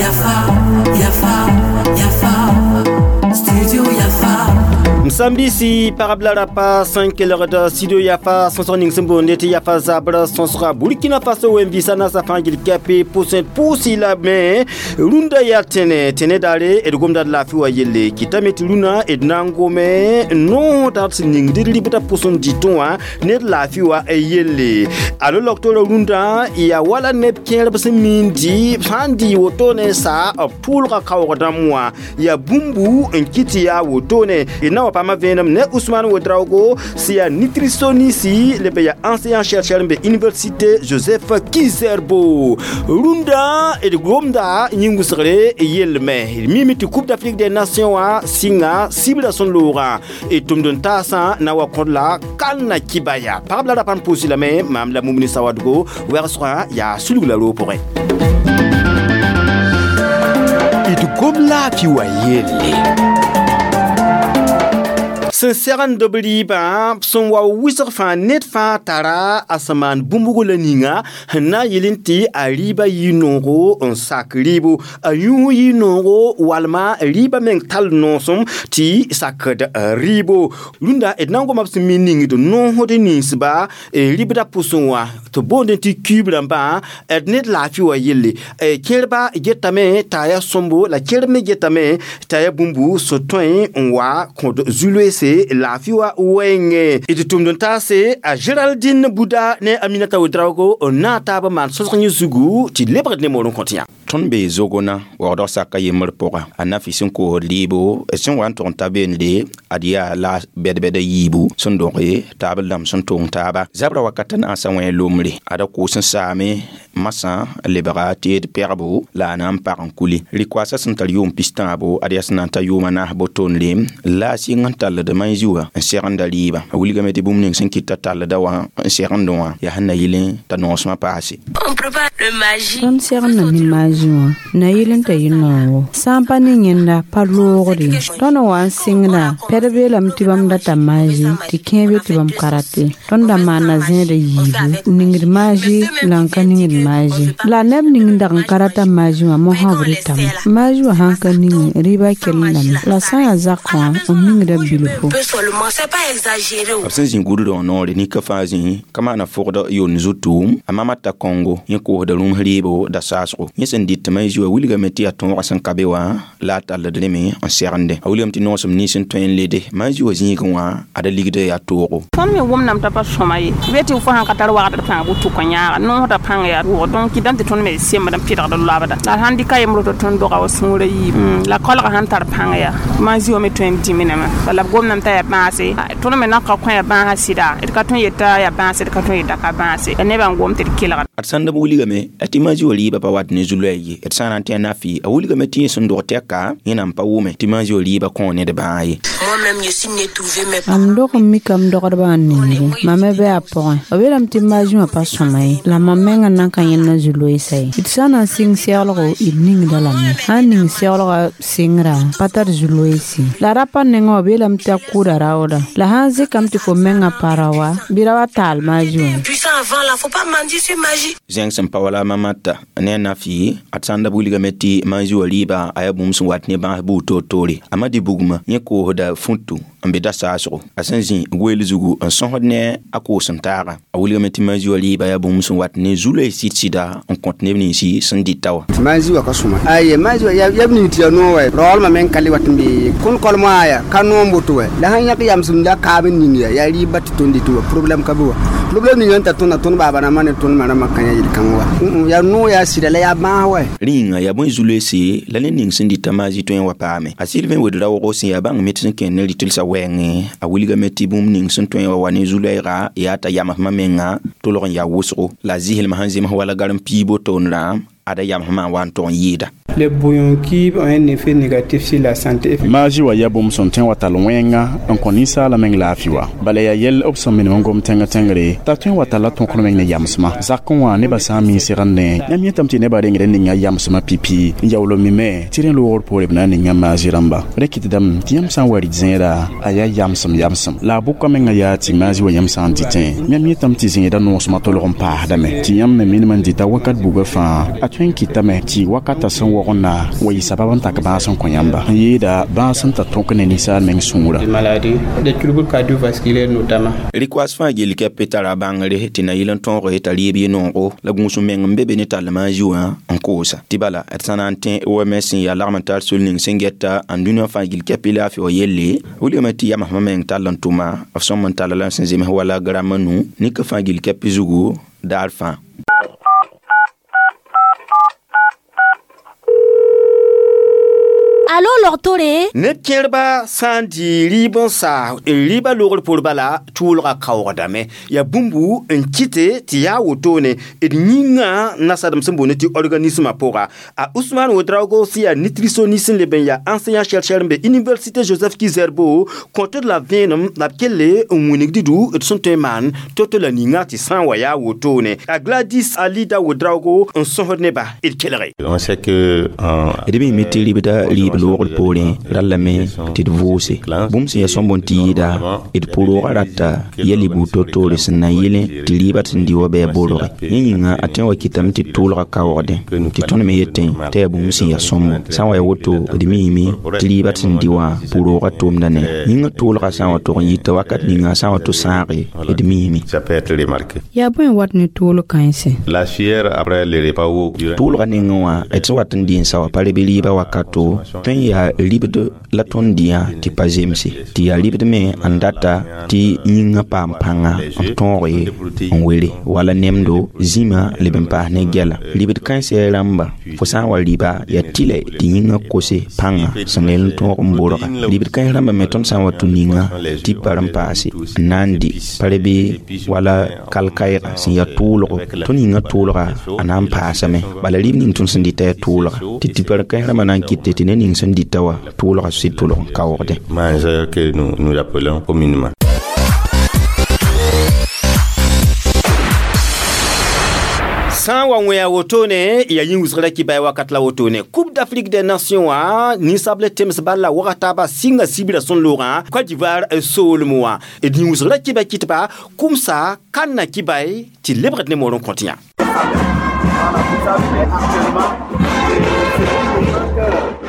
Yafa, Yafa, Yafa, Studio Yafa. Sambisi parabla rapa 5 kelgd studio Yafa sõsg ning sẽn boonde tɩ Yafa zabr sõsga Burkina Faso wẽn-biisã naasã fãa gil kɛpe pʋsẽ pʋʋsɩ la me rũndã yaa tẽne tẽne daare d gomda d laafɩ wa yelle kɩtame tɩ rũnã d na n gome noosdã sẽn ningd d ribdã pʋsẽ dɩtẽ wã ne d laafɩ wa yelle alo loktoorã rũndã yaa wala neb kẽerb sẽn miindi sã n dɩ wotone sa b tʋʋlga kaoog dãmb wã yaa bũmbu n kɩt tɩ yaa wotone d na wa paama vẽenem ne Ousmane Ouedraogo sẽn yaa nutritionniste le be yaa enseignant chercheur n be université Joseph Kizerbo rũndã d gomda yĩng-wʋsgre yellme d mime tɩ Coupe d'Afrique des Nations wã sɩnga sibra sẽn loogã d tʋmd n taasã na wa kõd la kalna kibaya pagb la rapa n pʋʋsɩ lame maam la Mumini Sawadgo wɛgsgã yaa sulg la roog pʋgẽ d gom laafɩ wa yelle sẽn segend b rɩɩbã sẽn wa wɩsg fãa ned fãa tara a sẽn maan bũmbugo la ninga sẽn na n yɩl n tɩ a rɩɩbã yɩ noogo n sak rɩɩbo a yũus yɩ noogo walma rɩɩbã meng tall noosem tɩ sakd rɩɩbo rũndã d na n goma b sẽn mi ningd noosd ninsba rɩbdã pʋsẽ wã tɩ boondẽ tɩ kiib rãmbã d ned laafɩ wa yelle kẽerba getame t'a yaa sõmbo la kẽerb me getame t'a yaa bũmbu sẽn tõe n wa kõd zu-loeese laafɩ wa wɛɛngẽ d tʋmd n taase a Géraldine Bouda ne Aminata Ouedraogo n na n taab n maan sõsg yẽ zugu tɩ lebgd ne moor n kõt yã Tõnd bee zogona waoodg saka yembr pʋga a nafi sẽn koosd rɩɩbo sẽn wa n tʋg n ta beende ad yaa la bɛd-bɛda yiibu sẽn doge taab dãmb sẽn tong taaba zabra wakata naasã wẽ lombre ada koos n saame masã lebga tɩ d pɛgbo la a na n pag n kuli rɩ-koaasã sẽn tar yʋʋm pis-tãabo ad yaa sẽn na n ta yʋʋma naas bo-tondre la a sɩng n tallд maẽ wã n segenda rɩɩba a wilgame tɩ bũmb ning sẽn kɩta tallda wã n segendẽ wã yaa sẽn na yɩl t'a noosmã paase Tõnd segenda ne maazi wã na yɩl n t'a yɩ noogo sã n pa ne yẽnda pa loogre tõnd n wa n sɩngda pɛd beelame tɩ bãmb data maazi tɩ kẽeb ye tɩ bãmb ka rate tõnd da maana zẽeda yiibu ningd maazi la n ka ningd maazi la neb ning n dag n ka rata maazi wã mosã b rɩtame maazi wã sãn ka ninge rɩɩbã kellendame la sã n yaa zak wã b ningda bilfo b sẽn zĩ gudrã wã noore nika fãa zĩ ka maana fʋgd yon zutu a mama ta Kɔngo yẽ koosda rũms rɩɩbo da saasgo yẽ sẽn dɩt maẽ wã wilgame tɩ yaa tõogã sẽn ka be wã la a talld rẽme n segende a wilgame tɩ noosem nins n tõe n lede maẽ wã zĩigẽ wã ada ligda yaa toogo Tõnd me wʋmdame t'a pa sõma ye be tɩ fo sãn ka tar wagdr pãng butu kõ yãaga noosda pãng yaa wʋg donc kɩdame tɩ tõnd me sembd n pɩdgd loabda la sãn dɩka yembr tɩ tõnd doga wa sũurã yiib la kolga sãn tar pãng yaa maẽ wã me tõe n dĩminame bala b gomdame t'a yaa bãase tõnd me nan ka kõ yaa bãasã sɩda d ka tõe n yeta yaa bãase d ka tõe n yeta ka bãase ya nebã n gom tɩ d kelgd ad sãn d wilgame tɩ maẽ wã rɩɩbã pa wat ne zu-loɛɛ ye d sã n na n tɩ a nafi a wilgame tɩ yẽ sẽn dog tɛka yẽ na n pa wʋme tɩ maẽ wã rɩɩbã kõ ned bãag ye Mam dog n mikame dogdbã n ninge mam me bɩ a pʋgẽ b yeelame tɩ maazi wã pa sõma ye la mam mengã nan ka yẽnda zu-loeesa ye d sã n na n sɩng seglgo d ningda lame sã n ning seglgã sɩngrã pa tar zu-loeese la rapa nengã wã b yeelame tɩ a kʋʋda raooda la sã n zɩkame tɩ fo mengã pa ra wa bɩ ra wa taal maazi wã zẽng sẽn pa wala mamata ne a nafi ad sãn da b wilgame tɩ maẽ wã rɩɩba a yaa bũmb sẽn wat ne bãas buud toor-toore a ma dɩ bugmã yẽ koosda futu n be da saasgo a sẽn zĩ goeel zugu n sõsd ne a koos n taaga a wilgame tɩ maẽ wã rɩɩba yaa bũmb sẽn wat ne zu-loees sɩd-sɩda n kõt neb ninsi sẽn dɩta wã maẽ wã ka sõma aye maẽ wã yaa b ning tɩ yaa noog wɛ raoolmã meng ka le wat n be kõn kolmã yaa ka noom woto wɛ la sãn yãk yamsem la kaab n ning yaa rɩɩba tɩ tõnd dɩtɩ wa problème ka be wa problème ning n tar tõnda tõnd baaba rãmbã ne tõnd ma rãmbã kã yã yel-kãng wa yaa noog yaa sɩda la yaa bãas wɛ rĩnga yaa bõe zu-loeese la ned ning sẽn dɩta maasi tõe n wa paame a Sylvain Ouedraogo sẽn yaa bãng met sẽn kẽnd ne rɩtelsã wɛɛngẽ a wilgame tɩ bũmb ning sẽn tõe n wa wa ne zu-loɛɛga yaa t'a yamsmã menga tolg n yaa wʋsgo la a zɩslmã sẽn zems wala garem piibo toonrã ada yamsmã n wa n tʋg n yɩɩda. Les bouillons cubes ont un effet négatif sur la santé. Maazi wa yaa bũmb sẽn tõe n wa tall wẽnga n kõ ninsaalã meng laafɩ wa. Bala yaa yɛl b sẽn minim n gom tẽngã tẽngre t'a tõe n wa talla tõkr meng ne yamsmã. Zakẽ wã nebã sã n miis segende yãmb yetame tɩ nebã rengd n ninga yamsmã pipi n yaool n mime tɩ rẽ loogr poore b na n ninga maazi rãmba. Rẽ kɩtdame tɩ yãmb sã n wa rɩt zẽeda a yaa yamsem yamsem. La a bʋka menga yaa tɩ maazi wa yãmb sã n dɩtẽ yãmb yetame tɩ zẽeda noosmã tolg n paasdame tɩ yãmb me minim n dɩta wakat bugã fãa a tõe n kɩtame tɩ wakata sẽn wogna wa yɩ sabab n tak bãas n kõ yãmba n yeeda bãas n ta tõk ne ninsaal meng sũurã. Maladies, des troubles cardiovasculaires notamment. Rɩk-koas fãa gill kɛp tara bãngre tɩ na yɩl n tõoge t'a rɩɩb yɩ noogo la gũus meng n be be ne tall maazi wã n koosa tɩ bala d sã na n tẽ OMS sẽn yaa lagm n tar sol ning sẽn gɛta n dũniyã fãa gill kɛp laafɩ wa yelle wilgame tɩ yamsmã meng tall n tʋma b sõm n talla la sẽn zems wala gram nu nika fãa gill kɛp zugu daar fãa. Alo logtore neb kẽerba sã n dɩ rɩɩb n sa n rɩɩbã loogr poor bala tʋʋlga kaoogdame yaa bũmbu n kɩte tɩ yaa wotone d yĩngã nasadem sẽn boond tɩ organismã pʋga a Ousmane Ouedraogo sẽn yaa nutritionniste n leb n yaa enseignant chercheur n be université Joseph Ki-Zerbo kõtd la vẽenem la b kelle n wilg dɩdʋ d sẽn tõe n maan to-to la ninga tɩ sã n wa yaa wotone a Gladys Alida Ouedraogo n sõsd neba d kelge. On sait que d mime tɩ rɩbda rɩɩb loogr poorẽ rallame tɩ d vʋʋse bũmb sẽn yaa sõmb n tɩ yɩɩda d pʋroogã rata yɛl y buud to-toore sẽn na n yɩlẽ tɩ rɩɩbã sẽn dɩ wa bɩ a borge yẽ yĩnga a tõe n wa kɩtame tɩ tʋʋlga kaoogdẽ tɩ tõnd me yetẽ tɩ yaa bũmb sẽn yaa sõmbo sã n wa ya woto d miime tɩ rɩɩbã sẽn dɩ wã pʋroogã tʋʋmda ne yĩngã tʋʋlga sã n wa tog n yita wakat ninga sã n wa tɩ sãage d miime. Yaa bõe n wat ne tʋʋl kãensẽ? Tʋʋlga nengẽ wã d sẽn wat n dɩ n sa wa pa reb rɩɩbã wakato tõe n yaa ribd la tõnd dɩyã tɩ pa zemse tɩ yaa ribd me n data tɩ yĩngã paam pãnga n tõoge n were wala nemdo zĩma leb n paas ne gɛla ribd kãensã rãmba fo sã n wa rɩba yaa tɩlɛ tɩ yĩngã kose pãnga sẽn leel n tõog n borga ribd kãens rãmba me tõnd sã n wa tũ ninga tɩ pa n paase n na n dɩ pa rebe wala kalkaɩga sẽn yaa tʋʋlgo tõnd yĩngã tʋʋlga a na n paasame bala rib ning tõnd sẽn dɩta yaa tʋʋlga tɩ tɩ pa kãens rãmbã na n kɩte tɩ ne ning sẽn dɩta wa tʋʋlga sɩd tʋlg n kaoogdẽ. Mangeur que nous, nous appelons communément. Sã n wa wẽ a wotone ya yĩng wʋsgra kɩ wakat la wotone Coupe d'Afrique des Nations wã ninsable tems bal la waga taaba sɩnga sibra sẽn loogã Côte d'Ivoire soolem wã d yĩng wʋsgra kɩba kɩtba kʋmsa kãnna kɩbay tɩ lebgd ne moor n kõt yã.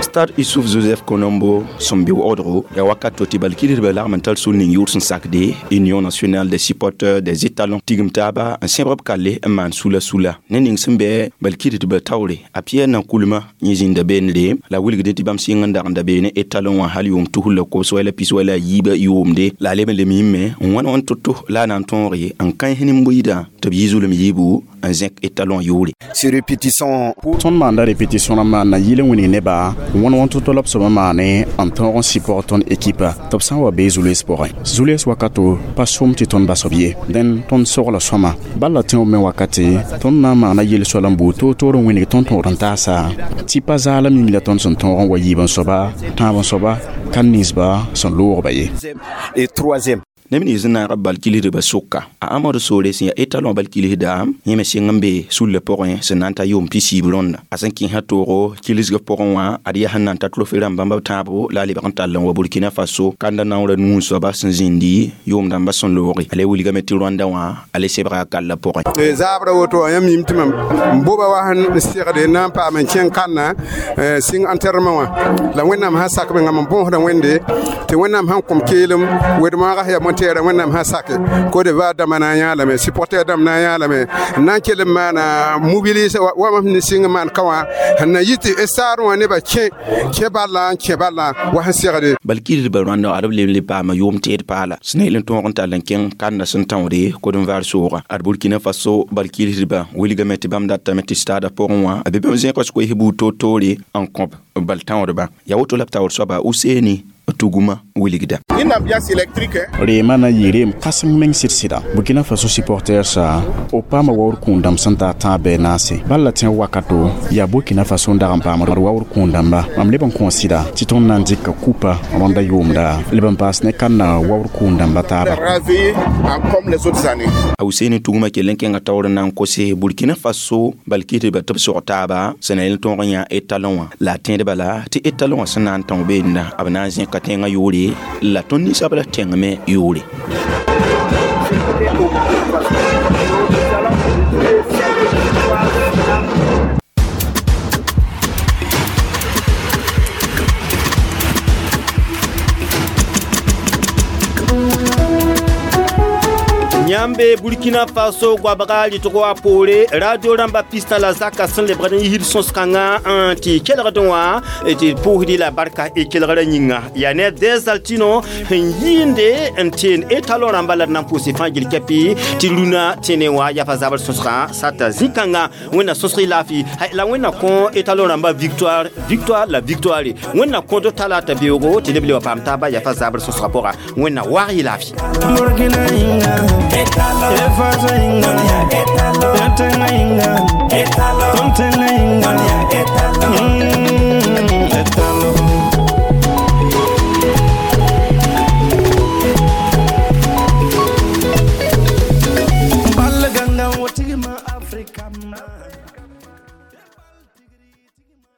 Stade Issouf Joseph Konombo sẽn be waoodgo yaa wakat to tɩ bal-kilisdbã lagm n tar sol ning yʋʋr sẽn sakde Union nationale des supporters des étalons tigim taaba n sẽbg b kalle n maan sula sula ne ning sẽn bɩ bal-kilisdbã taoore a Pierre na kulmã yẽ zĩnda beene la wilgdẽ tɩ bãmb sɩng n dag n da beene étalon wã hal yʋʋm tusr la kobs wala pis wala a yiibã yʋʋmde la a leb n lem yĩmme n wãn wãn to-to la a na n tõoge n kãens nin-buiidã tɩ b yɩ zulem yiibu n zẽk étalon yʋʋre. Ces répétitions Tõnd maanda répétition rãmbã n na yɩl n wilg nebã wãn wãn to-to la b soabã maane n tõog n sɩpg tõnd ekipa tɩ b sã n wa bee zules pʋgẽ zules wakato pa sʋm tɩ tõnd bas b ye dẽn tõnd sogla sõma bal la tẽob me wakate tõnd na n maana yel-soal n buud toor-toor n wĩneg tõnd tõod n taasa tɩ pa zaalem yĩng la tõnd sẽn tõog n wa yiib n soaba tãab n soaba ka ninsba sẽn loogba ye. Et troisième. Neb nins n naag b bal-kilisdbã sʋka a Amadu soore sẽn yaa étalon bal-kilisda yẽ me sɩng n be sullã pʋgẽ sẽn na n ta yʋʋm pisiib rõnda a sẽn kẽesã toogo kilsgã pʋgẽ wã ad yaa sẽn na n ta trophée rãmb bãmb b tãabo la a lebg n tall n wa Burkina Faso kanda naoorã nuu soaba sẽn zĩndi yʋʋm dãmbã sẽn looge a le wilgame tɩ Rwanda wã a le sebga a kallã pʋgẽ. Zaabra woto wã yãmb yĩm tɩ mam n boba wa sẽn segde na n paam n kẽng kãnna sɩng enterrement wã la Wẽnnaam sã sak mengã mam bõosda Wẽnde tɩ Wẽnnaam sãn kõm keelem wed-moagã yaa tɛɛra Wẽnnaam sã sake Côte d'Ivoire dãmbã na n yãalame supporter dãmb na n yãalame n na n kell n maana mobilise wa mam sẽn sɩng n maan ka wã sẽn na yɩ tɩ stade wã nebã kẽ kẽ ballã n kẽ ballã wa sẽn segde. Bal-kilisdbã Rwanda ad b leb n le paama yʋʋm teed paala sẽn na yel n tõog n tall n kẽng kãnda sẽn tãoode Côte-d'Ivoire soogã ad Burkina Faso bal-kilisdbã wilgame tɩ bãmb datame tɩ stadã pʋgẽ wã a be bãmb zẽk koes buud toor-toore n kõb bal tãoodba yaa woto la b taoor soaba Useni Tuguma wilgda. Une ambiance électrique. Reema na yɩ reem kãseng meng sɩd-sɩda. Burkina Faso supporters b paama waoor kũun-dãmb sẽn taa tãab bɩ naase. Bal la tẽ wakato yaa Burkina Faso n dag n paam waoor kũun-dãmba. Mam leb n kõ sɩda tɩ tõnd na n dɩka kupa rõnda yʋʋmda leb n paas ne kãnna waoor kũun-dãmba taaba. Ravi comme les autres années. A Useni Tuguma kell n kẽnga taoor n na n kose Burkina Faso bal kɩ tɩ ba tɩ b sog taaba sẽn na yel tõog n yã etalon wã la a tẽedba la tɩ etalon wã sẽn na n tão beenda b na n zẽka tẽngã yʋʋre la tõnd ninsabra tẽng me yʋʋre. Yãmbe Burkina Faso goabga rɩtgo a poore radio rãmba pista la zaka sẽn lebgd n yisd sõs-kãngã n tɩ kelgdẽ wã tɩ pʋʋsdɩ la barka y kelgrã yĩnga yaa ne Desaltino sẽn yɩɩnde n teen etalon rãmba la d na n pʋʋs fãa gil kɛpɩ tɩ rũnã tẽne wã yafa zabr sõsgã sata zĩ-kãngã Wẽnna sõsg y laafɩ la Wẽnna kõ etalon rãmba victoire, victoire la victoire. Wẽnna kõd talaata beoogo tɩ neb le wa paam taaba yafa zabr sõsgã pʋga. Wẽnna waag y laafɩ. Burkina inga, Efaso inga, Yatenga inga, Tontenga inga, Etalo. Balganga wotigima Afrika ma.